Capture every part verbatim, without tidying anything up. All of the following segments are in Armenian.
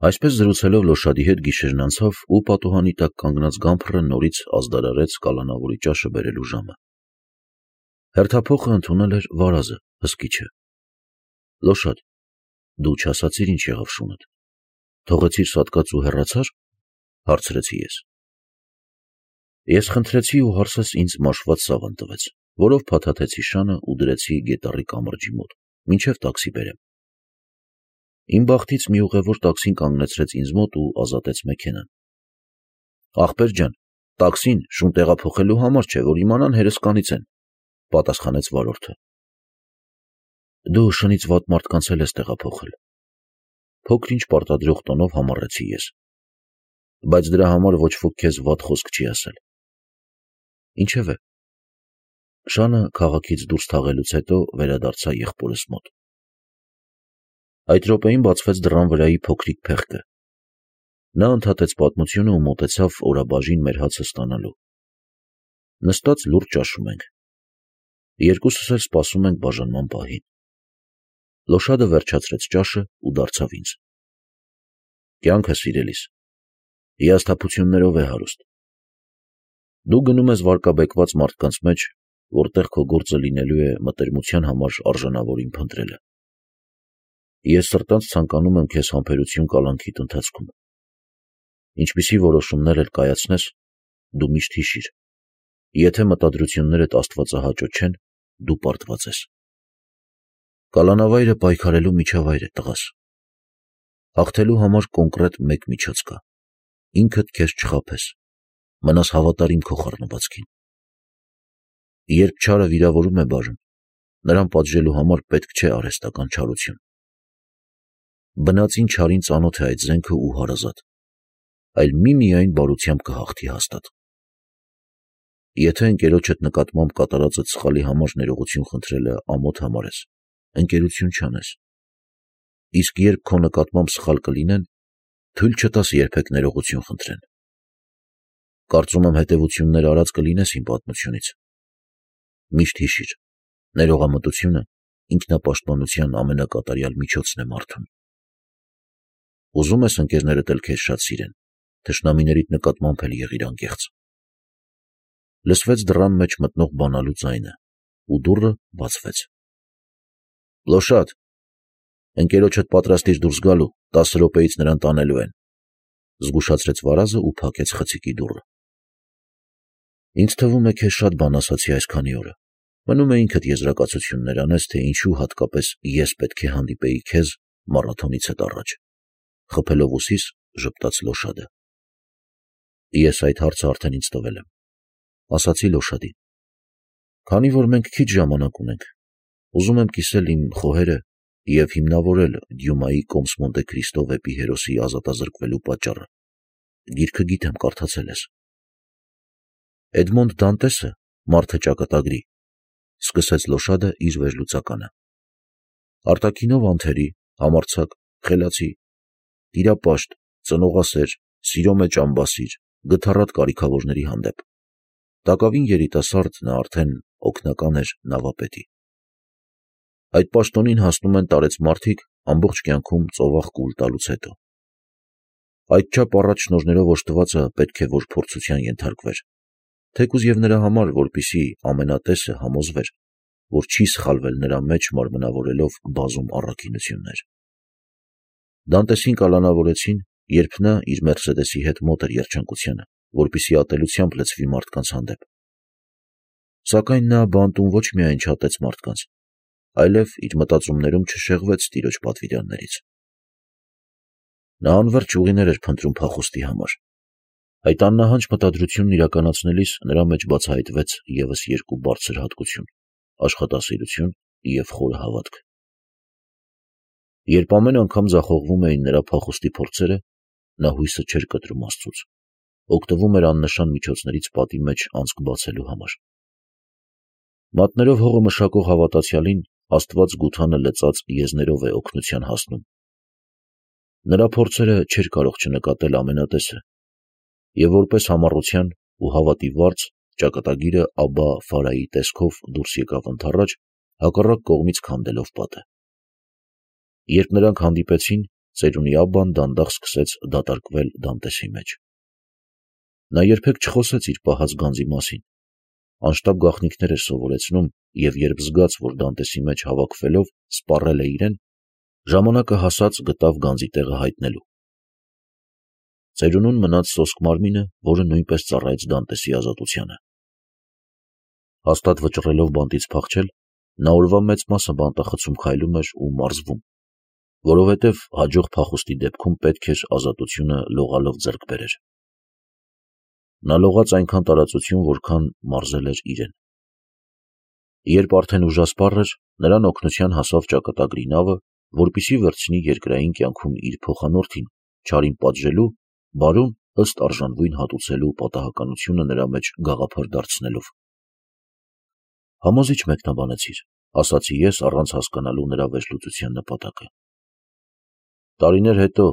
Այսպես զրուցելով Լոշադի հետ գիշերն անցավ ու պատուհանի տակ կանգնած Գամփրը նորից ազդարարեց կալանավորի ճաշը բերելու ժամը։ Հերթափոխը ընդունել էր Վարազը, հսկիչը։ Լոշադ, դու չասացիր ինչ եղավ շունդ։ Թողեցիր սատկած ու հեռացար, հարցրեցի ես։ Ես խնդրեցի ու հարսս ինձ մաշված սավան տվեց, որով փաթաթեցի շանը ու դրեցի գետառի կամրջի մոտ, մինչև տաքսի բերեմ։ Իմ բախտից մի ուղևոր տաքսին կանգնեցրեց ինձ մոտ ու ազատեց մեքենան։ Ախպեր ջան, տաքսին շուն տեղափոխելու համար չէ, որ իմանան հերոսկանից են, պատասխանեց վարորդը։ Դու շնից վատ մարդկանց էլ ես տեղափոխել։ Փոքր-ինչ պարտադրող տոնով համառեցի ես։ Բայց դրա համար ոչ ոք քեզ վատ խոսք չի ասել։ Ինչևէ, շանը քաղաքից դուրս թաղելուց հետո վերադարձա եղբորս մոտ։ Այդ րոպեին բացվեց դռան վրայի փոքրիկ փեղկը։ Նա ընդհատեց պատմությունը ու մոտեցավ օրաբաժին մեր հացը ստանալու։ Նստած լուրջ ճաշում ենք։ Երկուսս էլ սպասում ենք բաժանման պահին։ Լոշադը վերջացրեց ճաշը ու դարձավ ինձ։ Կյանքը, սիրելիս, հիասթափություններով է հարուստ։ Դու գնում ես վարկաբեկված մարդկանց մեջ, որտեղ քո գործը լինելու է մտերմության համար արժանավորին փնտրելը։ Ես սրտանց ցանկանում եմ քեզ համբերություն կալանքիդ ընթացքում։ Ինչպիսի որոշումներ էլ կայացնես, դու միշտ հիշիր, եթե մտադրություններդ աստվածահաճո չեն, դու պարտված ես։ Կալանավայրը պայքարելու միջավայր է, տղաս։ Հաղթելու համար կոնկրետ մեկ միջոց կա։ Ինքդ քեզ չխաբես, մնաս հավատարիմ քո խառնվածքին։ Երբ չարը վիրավորում է բաժին, նրան պատժելու համար պետք չէ արհեստական չարություն։ Բնածին չարին ծանոթ է այդ զենքը ու հարազատ, այլ միմիայն բարությամբ կհաղթի հաստատ։ Եթե ընկերոջդ նկատմամբ կատարածդ սխալի համար ներողություն խնդրելը ամոթ համարես, ընկերություն չանես։ Իսկ երբ քո նկատմամբ սխալ կլինեն, թույլ չտաս երբեք ներողություն խնդրեն։ Կարծում եմ հետևություններ արած կլինես իմ պատմությունից։ Միշտ հիշիր, ներողամտությունը ինքնապաշտպանության ամենակատարյալ միջոցն է մարդուն։ Ուզում ես ընկերներդ էլ քեզ շատ սիրեն, թշնամիներիդ նկատմամբ էլ եղիր անկեղծ։ Լսվեց դռան մեջ մտնող բանալու ձայնը, ու դուռը բացվեց։ Լոշադ, ընկերոջդ պատրաստիր դուրս գալու, տասը րոպեից նրան տանելու են, զգուշացրեց Վարազը ու փակեց խցիկի դուռը։ Ինձ թվում է քեզ շատ բան ասացի այսքանի օրը։ Մնում է ինքդ եզրակացություններ անես, թե ինչու հատկապես ես պետք է հանդիպեի քեզ մարաթոնից հետ առաջ։ Խփելով ուսիս, ժպտաց Լոշադը։ Ես այդ հարցը արդեն ինձ տվել եմ, ասացի Լոշադին։ Քանի որ մենք քիչ ժամանակ ունենք, ուզում եմ կիսել իմ խոհերը և հիմնավորել Դյումայի «Կոմս Մոնտե Քրիստո» վեպի հերոսի ազատազրկվելու պատճառը։ Գիրքը գիտեմ կարդացել ես։ Էդմոնդ Դանտեսը, «Մարդը ճակատագրի», սկսեց Լոշադը իր վերլուծականը։ Արտաքինով անթերի, համարձակ, խելացի, տիրապաշտ, ծնողասեր, սիրո մեջ ամբասիր, գթառատ կարիքավորների հանդեպ։ Տակավին երիտասարդ նա արդեն օգնական էր նավապետի։ Այդ պաշտոնին հասնում են տարեց մարդիկ ամբողջ կյանքում ծովախ կուլ տալուց հետո։ Այդչափ առաջ շնորհներով օժտվածը պետք է որ փորձության ենթարկվեր, թեկուզ և նրա համար, որպեսզի ամենատեսը համոզվեր, որ չի սխալվել նրա մեջ մարմնավորելով բազում առաքինություններ։ Դանտեսին կալանավորեցին, երբ նա իր մերսեդեսի հետ մոտ էր երջանկությանը, որպեսզի ատելությամբ լցվի մարդկանց հանդեպ։ Սակայն նա բանտում ոչ միայն չատեց մարդկանց, այլև իր մտածումներում չշեղվեց տիրոջ պատվիրաններից։ Նա անվերջ ուղիներ էր փնտրում փախուստի համար։ Այդ աննահանջ մտադրությունն իրականացնելիս նրա մեջ բացահայտվեց ևս երկու բարձր հատկություն՝ աշխատասիրություն և խորը հավատք։ Երբ ամեն անգամ ձախողվում էին նրա փախուստի փորձերը, նա հույսը չէր կտրում Աստծուց, օգտվում էր աննշան միջոցներից պատի մեջ անցք բացելու համար։ Մատներով հողը մշակող հավատացյալին Աստված գութանը լծած եզներով է օգնության հասնում։ Նրա փորձերը չէր կարող չնկատել ամենատեսը, և որպես համառության ու հավատի վարձ ճակատագիրը Աբա Ֆարայի տեսքով դուրս եկավ ընդառաջ, հակառակ կողմից քանդելով պատը։ Երբ նրանք հանդիպեցին, ծերունի Աբբան դանդաղ սկսեց դատարկվել Դանտեսի մեջ։ Նա երբեք չխոսեց իր պահած գանձի մասին, անշտապ գաղտնիքներ էր սովորեցնում և երբ զգաց, որ Դանտեսի մեջ հավաքվելով սպառել է իրեն, ժամանակը հասած գտավ գանձի տեղը հայտնելու։ Ծերունուն մնաց սոսկ մարմինը, որը նույնպես ծառայեց Դանտեսի ազատությանը։ Հաստատ վճռելով բանտից փախչել, նա օրվա մեծ մասը բանտախցում քայլում էր ու մարզվում, որովհետև հաջող փախուստի դեպքում պետք էր ազատությունը լողալով ձեռք բերեր։ Նա լողաց այնքան տարածություն, որքան մարզել էր իրեն։ Երբ արդեն ուժասպառ էր, նրան օգնության հասավ ճակատագրի նավը, որպեսզի վերցնի երկրային կյանքում իր փոխանորդին, չարին պատժելու, բարուն ըստ արժանվույն հատուցելու պատահականությունը նրա մեջ գաղափար դարձնելով։ Համոզիչ մեկնաբանեցիր, ասացի ես առանց հասկանալու նրա վերլուծության նպատակը։ Տարիներ հետո,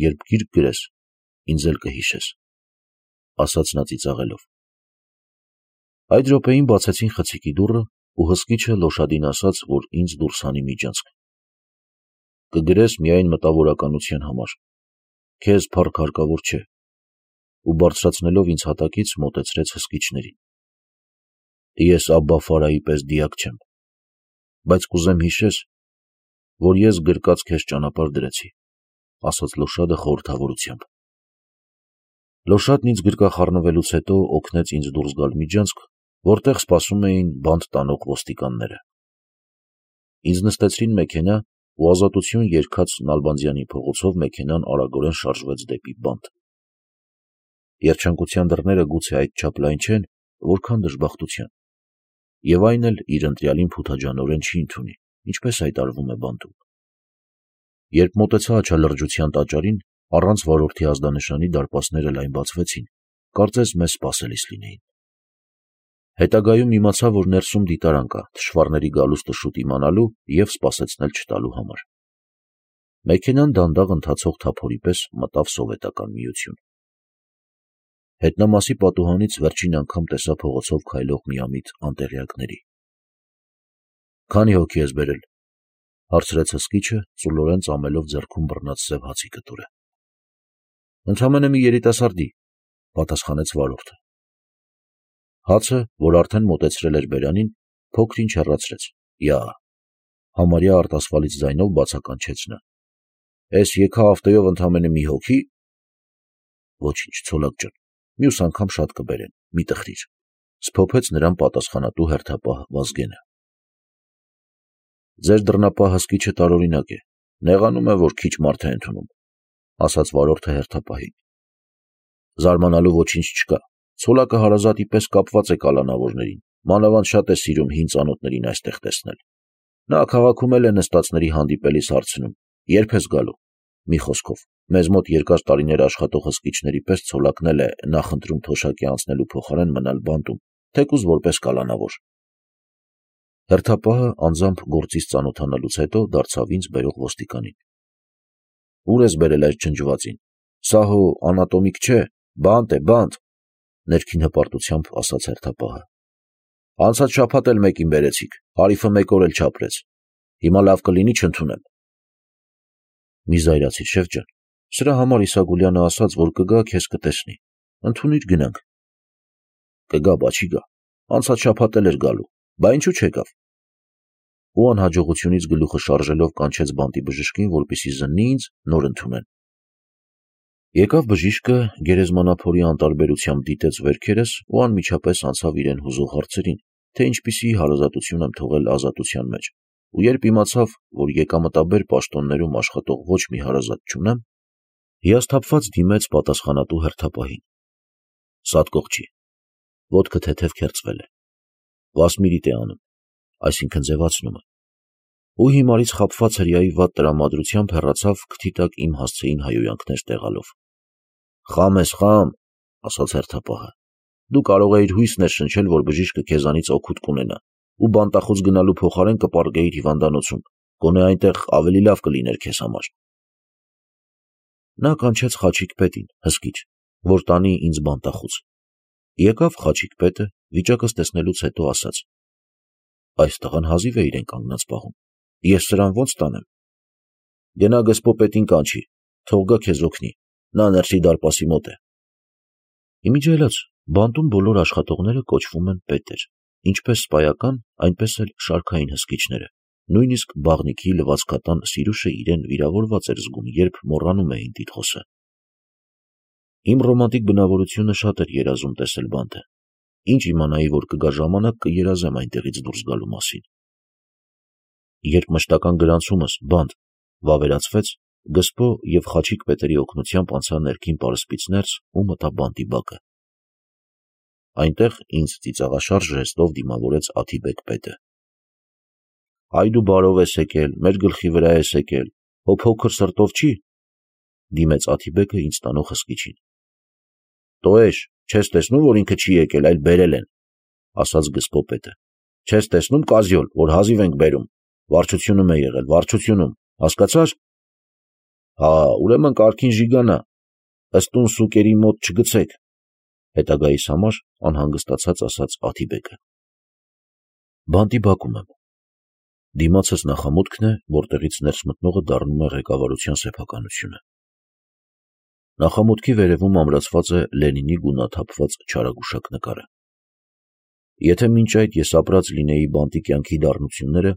երբ գիրք գրես, ինձ էլ կհիշես, ասաց նա ծիծաղելով։ Այդ րոպեին բացեցին խցիկի դուռը ու հսկիչը լոշադին ասաց, որ ինձ դուրս հանի միջանցք։ Կգրես միայն մտավորականության համար, քեզ փառք հարկավոր չէ, ու բարձրացնելով ինձ հատակից մոտեցրեց հսկիչներին։ Ես Աբբա Ֆարայի պես դիակ չեմ, բայց կուզեմ հիշես, որ ես գրկած քեզ ճանապարհ դրեցի, ասաց լոշադը խորհրդավորությամբ։ Լոշադն ինձ գրկախառնվելուց հետո օգնեց ինձ դուրս գալ միջանցք, որտեղ սպասում էին բանտ տանող ոստիկանները։ Ինձ նստեցրին մեքենա ու ազատություն երգած Նալբանդյանի փողոցով մեքենան արագորեն շարժվեց դեպի բանտ։ Երջանկության դռները գուցե այդչափ լայն չեն, որքան դժբախտության, և այն էլ իր ընտրյալին փութաջանորեն չի ընդունի, ինչպես հայտարարվում է բանտում։ Երբ մոտեցա աչալրջության տաճարին, առանց վարորդի ազդանշանի դարպասները լայն բացվեցին, կարծես մեզ սպասելիս լինեին։ Հետագայում իմացա, որ ներսում դիտարան կա թշվառների գալուստը շուտ իմանալու և սպասեցնել չտալու համար։ Մեքենան դանդաղ ընթացող թափորի պես մտավ սովետական միություն։ Հետնամասի պատուհանից վերջին անգամ տեսա փողոցով քայլող միամիտ անտեղյակների։ Քանի՞ հոգի ես բերել, հարցրեց հսկիչը, ծուլորեն ծամելով ձեռքում բռնած սև հացի կտորը։ Ընդամենը մի երիտասարդի, պատասխանեց վարորդը։ Հացը, որ արդեն մոտեցրել էր բերանին, փոքր-ինչ հեռացրեց։ Յա, համարյա արտասվալից ձայնով բացականչեց նա։ Էս եկա ավտոյով ընդամենը մի հոգի։ Ոչինչ, ցոլակ ջան, մյուս անգամ շատ կբերեն, մի տխրիր, սփոփեց նրան պատասխանատու հերթապահ Վազգենը։ Ձեր դռնապահ հսկիչը տարօրինակ է, նեղանում է, որ քիչ մարդ է ընդունում, ասաց վարորդը հերթապահին։ Զարմանալու ոչինչ չկա, ցոլակը հարազատի պես կապված է կալանավորներին, մանավանդ շատ է սիրում հին ծանոթներին այստեղ տեսնել։ Նա քաղաքում էլ է նստածների հանդիպելիս հարցնում, երբ ես գալու։ Մի խոսքով, մեզ մոտ երկար տարիներ աշխատող հսկիչների պես ցոլակն էլ է նախընտրում թոշակի անցնելու փոխարեն մնալ բանտում, թեկուզ որպես կալանավոր։ Հերթապահը անձամբ գործից ծանոթանալուց հետո դարձավ ինձ բերող ոստիկանին։ Ուր ես բերել այս ջնջվածին։ Սա հո անատոմիկ չէ, բանտ է, բանտ, ներքին հպարտությամբ ասաց հերթապահը։ Անցած շաբաթ էլ մեկին բերեցիք, հարիֆը մեկ օր էլ չապրեց։ Հիմա լավ կլինի չընդունեմ։ Մի զայրացիր, շեֆ ջան, սրա համար Իսագուլյանը ասաց, որ կգա, քեզ կտեսնի, ընդունիր գնանք։ Կգա, բա չի գա, անցած շաբաթ էլ էր գալու, բա ինչու չեկավ։ Ու անհաջողությունից գլուխը շարժելով կանչեց բանտի բժշկին, որպեսզի զննի ինձ, նոր ընդունեն։ Եկավ բժիշկը, գերեզմանափորի անտարբերությամբ դիտեց վերքերս ու անմիջապես անցավ իրեն հուզող հարցերին, թե ինչպիսի հարազատություն եմ թողել ազատության մեջ, ու երբ իմացավ, որ եկամտաբեր պաշտոններում աշխատող ոչ մի հարազատ չունեմ, հիասթափված դիմեց պատասխանատու հերթապահին։ Սատկող չի, ոտքը թեթև քերծվել է, վասմիրիտ է անում, այսինքն ձևացնում է, ու հիմարից խաբված հրեայի վատ տրամադրությամբ հեռացավ քթի տակ իմ հասցեին հայհոյանքներ տեղալով։ Խամ ես, խամ, ասաց հերթապահը, դու կարող էիր հույս ներշնչել, որ բժիշկը քեզանից օգուտ կունենա, ու բանտախոց գնալու փոխարեն կպարգեիր հիվանդանոցում, գոնե այնտեղ ավելի լավ կլիներ քեզ համար։ Նա կանչեց Խաչիկ պետին, հսկիչ, որ տանի ինձ բանտախոց։ Եկավ Խաչիկ պետը, վիճակս տեսնելուց հետո ասաց. Այս տղան հազիվ է իրեն կանգնած պահում, ես սրան ո՞նց տանեմ։ Գնա գսպոպետին կանչի, թող գա քեզ օգնի, նա ներսի դարպասի մոտ է։ Իմիջիայլոց բանտում բոլոր աշխատողները կոչվում են պետեր, ինչպես սպայական, այնպես էլ շարքային հսկիչները, նույնիսկ բաղնիքի լվացքատան Սիրուշը իրեն վիրավորված էր զգում, երբ մոռանում էին տիտղոսը։ Իմ ռոմանտիկ բնավորությունը շատ էր երազում տեսել բանտը, ինչ իմանայի, որ կգա ժամանակ կերազեմ այնտեղից դուրս գալու մասին։ Երբ մշտական գրանցումս բանտ վավերացվեց, Գսպո և Խաչիկ պետերի օգնությամբ անցա ներքին պարսպից ներս ու մտա բանտի բակը։ Այնտեղ ինձ ծիծաղաշարժ ժեստով դիմավորեց Աթիբեկ պետը։ Այ դու բարով ես եկել, մեր գլխի վրա ես եկել, հո փոքր սրտով չի, դիմեց Աթիբեկը ինձ տանող հսկիչին։ Տոեշ, չես տեսնում, որ ինքը չի եկել, այլ բերել են, ասաց Գսպո պետը։ Չես տեսնում, կազյոլ, որ հազիվ ենք բերում, վարչությունում է եղել, վարչությունում, հասկացար։ Հա, ուրեմն կարգին ժիգանա, ըստուն սուկերի մոտ չգցեք, հետագայիս համար անհանգստացած ասաց Աթիբեկը։ Բանտի բակում եմ։ Դիմացս նախամուտքն է, որտեղից ներս մտնողը դառնում է ղեկավարության սեփականությունը։ Նախամուտքի վերևում ամրացված է Լենինի գունաթափված չարագուշակ նկարը։ Եթե մինչ այդ ես ապրած լինեի բանտի կյանքի դառնությունները,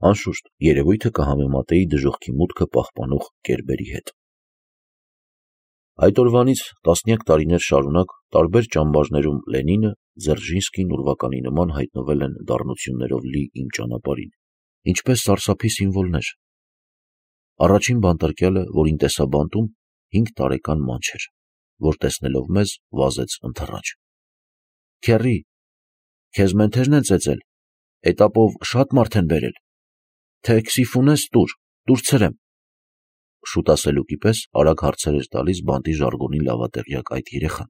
անշուշտ երևույթը կհամեմատեի դժոխքի մուտքը պահպանող կերբերի հետ։ Այդ օրվանից տասնյակ տարիներ շարունակ տարբեր ճամբարներում Լենինը, Ձերժինսկին ուրվականի նման հայտնվել են դառնություններով լի իմ ճանապարհին, ինչպես սարսափի սիմվոլներ։ Առաջին բանտարկյալը, որին տեսա բանտում, հինգ տարեկան մանչ էր, որ տեսնելով մեզ վազեց ընթռաջ։ Քեռի, քեզ մենթերն են ծեծել, էտապով շատ մարդ են բերել, թե քսիֆունես տուր, տուր ցրեմ։ Շուտ ասելուկի պես արագ հարցեր էր տալիս բանտի ժարգոնին լավատեղյակ այդ երեխան։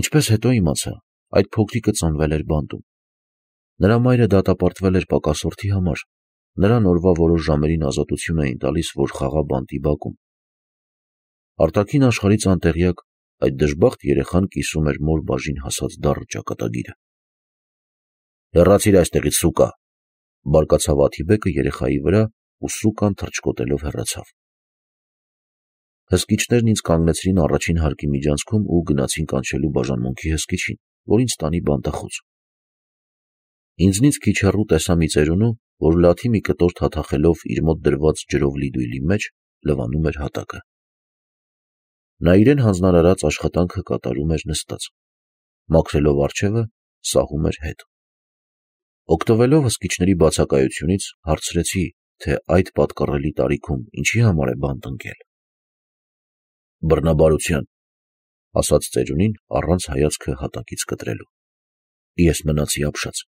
Ինչպես հետո իմացա, այդ փոքրիկը ծնվել էր բանտում։ Նրա մայրը դատապարտվել էր պակասորդի համար, նրան օրվա որոշ ժամերին ազատություն էին տալիս, որ խաղա բանտի բակում։ Արտաքին աշխարհից անտեղյակ այդ դժբախտ երեխան կիսում էր մոր բաժին հասած դառը ճակատագիրը։ Հեռացիր այստեղից, սուկա, բարկացավ Աթիբեկը երեխայի վրա ու սուկան թռչկոտելով հեռացավ։ Հսկիչներն ինձ կանգնեցրին առաջին հարկի միջանցքում ու գնացին կանչելու բաժանմունքի հսկիչին, որ ինձ տանի բանտախոց։ Ինձնից քիչ հեռու տեսա մի ծերունու, որ լաթի մի կտոր թաթախելով իր մոտ դրված ջրով լի դույլի մեջ լվանում էր հատակը։ Նա իրեն հանձնարարած աշխատանքը կատարում էր նստած, մաքրելով առջևը, սահում էր հետ։ Օգտվելով հսկիչների բացակայությունից հարցրեցի, թե այդ պատկառելի տարիքում ինչի համար է բանտ ընկել։ Բռնաբարության, ասաց ծերունին առանց հայացքը հատակից կտրելու։ Ես մնացի ապշած։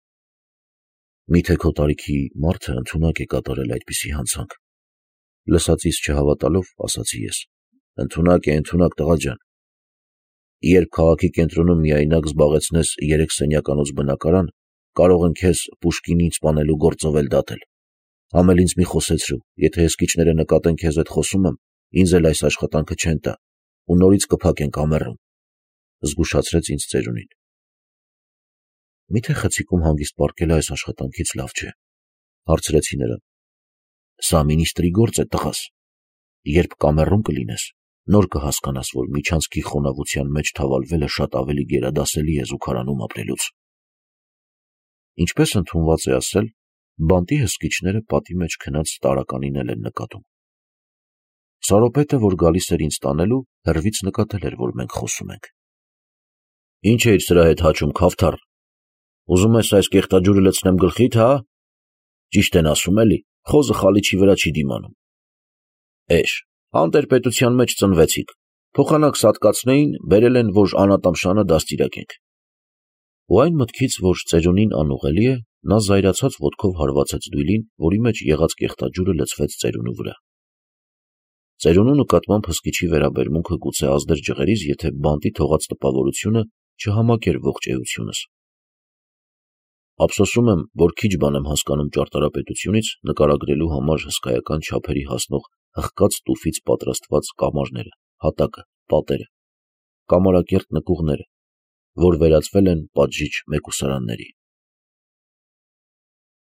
Միթե քո տարիքի մարդը ընդունակ է կատարել այդպիսի հանցանք։ Լսածիս չհավատալով ասացի ես. Ընդունակ է, ընդունակ տղա ջան։ Երբ քաղաքի կենտրոնում միայնակ զբաղեցնես երեք սենյականոց բնակարան, կարող են քեզ Պուշկինին սպանելու գործով էլ դատել։ Համել ինձ մի խոսեցրու, եթե հսկիչները նկատեն քեզ հետ խոսում եմ, ինձ էլ այս աշխատանքը չեն տա ու նորից կփակեն կամերում, զգուշացրեց ինձ ծերունին։ Միթե խցիկում հանգիստ պառկելը այս աշխատանքից լավ չէ, հարցրեցի նրան։ Սա մինիստրի գործ է, տղաս։ Երբ կամերում կլինես, նոր կհասկանաս, որ միջանցքի խոնավության մեջ թավալվելը շատ ավելի գերադասելի է զուգարանում ապրելուց։ Ինչպես ընդունված է ասել, բանտի հսկիչները պատի մեջ քնած տարականին էլ են նկատում։ Սարոպետը, որ գալիս էր ինձ տանելու, հեռվից նկատել էր, որ մենք խոսում ենք։ Ինչ էիր սրա հետ հաչում, քավթառ։ Ուզում ես այս կեղտաջուրը լցնեմ գլխիդ, հա։ Ճիշտ են ասում էլի, խոզը խալիչի վրա չի դիմանում։ Էշ, անտերպետության մեջ ծնվեցիք, փոխանակ սատկացնեին, բերել են, որ անատամշանը դաստիարակենք։ Ու այն մտքից, որ ծերունին անուղելի է, նա զայրացած ոտքով հարվածեց դույլին, որի մեջ եղած կեղտաջուրը լցվեց ծերունու վրա։ Ծերունու նկատմամբ հսկիչի վերաբերմունքը գուցե ազդեր ջղերից, եթե բանտի թողած տպավորությունը չհամակեր ողջ էությունս։ Ափսոսում եմ, որ քիչ բան եմ հասկանում ճարտարապետությունից, նկարագրելու համար հսկայական չափերի հասնող հղկած տուֆից պատրաստված կամարները, հատակը, պատերը, կամարակերտ նկուղները, որ վերածվել են պատժիչ մեկուսարանների։